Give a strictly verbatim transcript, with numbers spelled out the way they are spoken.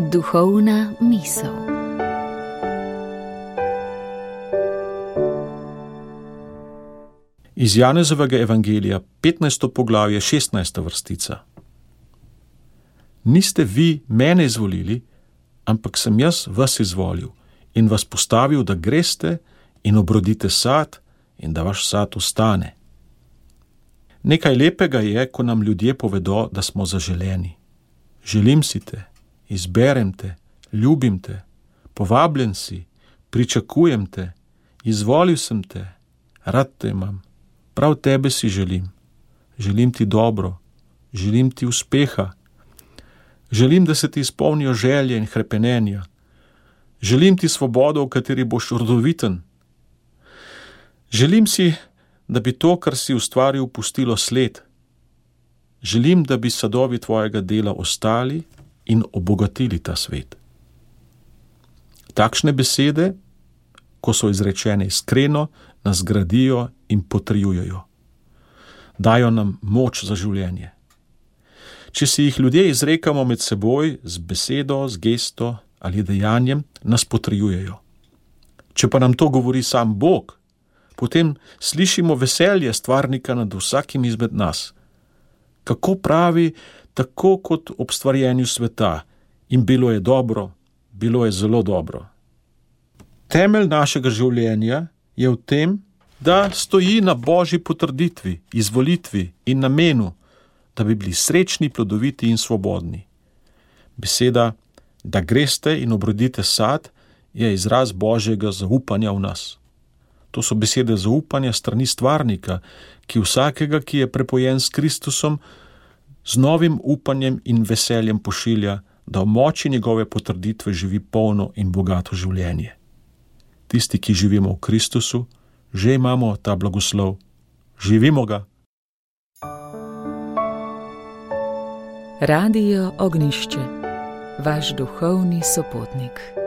Duhovna misel. Iz Janezovega evangelija, petnajsto poglavje, šestnajsta vrstica. Niste vi mene izvolili, ampak sem jaz vas izvolil in vas postavil, da greste in obrodite sad in da vaš sad ostane. Nekaj lepega je, ko nam ljudje povedo, da smo zaželeni. Želim si te, izberem te, ljubim te, povabljen si, pričakujem te, izvolil sem te, rad te imam, prav tebe si želim. Želim ti dobro, želim ti uspeha, želim, da se ti izpolnijo želje in hrepenenja, želim ti svobodo, v kateri boš rodoviten. Želim si, da bi to, kar si ustvaril, pustilo sled. Želim, da bi sadovi tvojega dela ostali in obogatili ta svet. Takšne besede, ko so izrečene iskreno, nas gradijo in potrjujejo. Dajo nam moč za življenje. Če si jih ljudje izrekamo med seboj z besedo, z gesto ali dejanjem, nas potrjujejo. Če pa nam to govori sam Bog, potem slišimo veselje stvarnika nad vsakim izmed nas. Kako pravi, tako kot ob stvarjenju sveta, in bilo je dobro, bilo je zelo dobro. Temelj našega življenja je v tem, da stoji na Božji potrditvi, izvolitvi in namenu, da bi bili srečni, plodoviti in svobodni. Beseda, da greste in obrodite sad, je izraz Božjega zaupanja v nas. To so besede zaupanja strani stvarnika, ki vsakega, ki je prepojen s Kristusom, z novim upanjem in veseljem pošilja, da v moči njegove potrditve živi polno in bogato življenje. Tisti, ki živimo v Kristusu, že imamo ta blagoslov. Živimo ga. Radio Ognjišče, vaš duhovni sopotnik.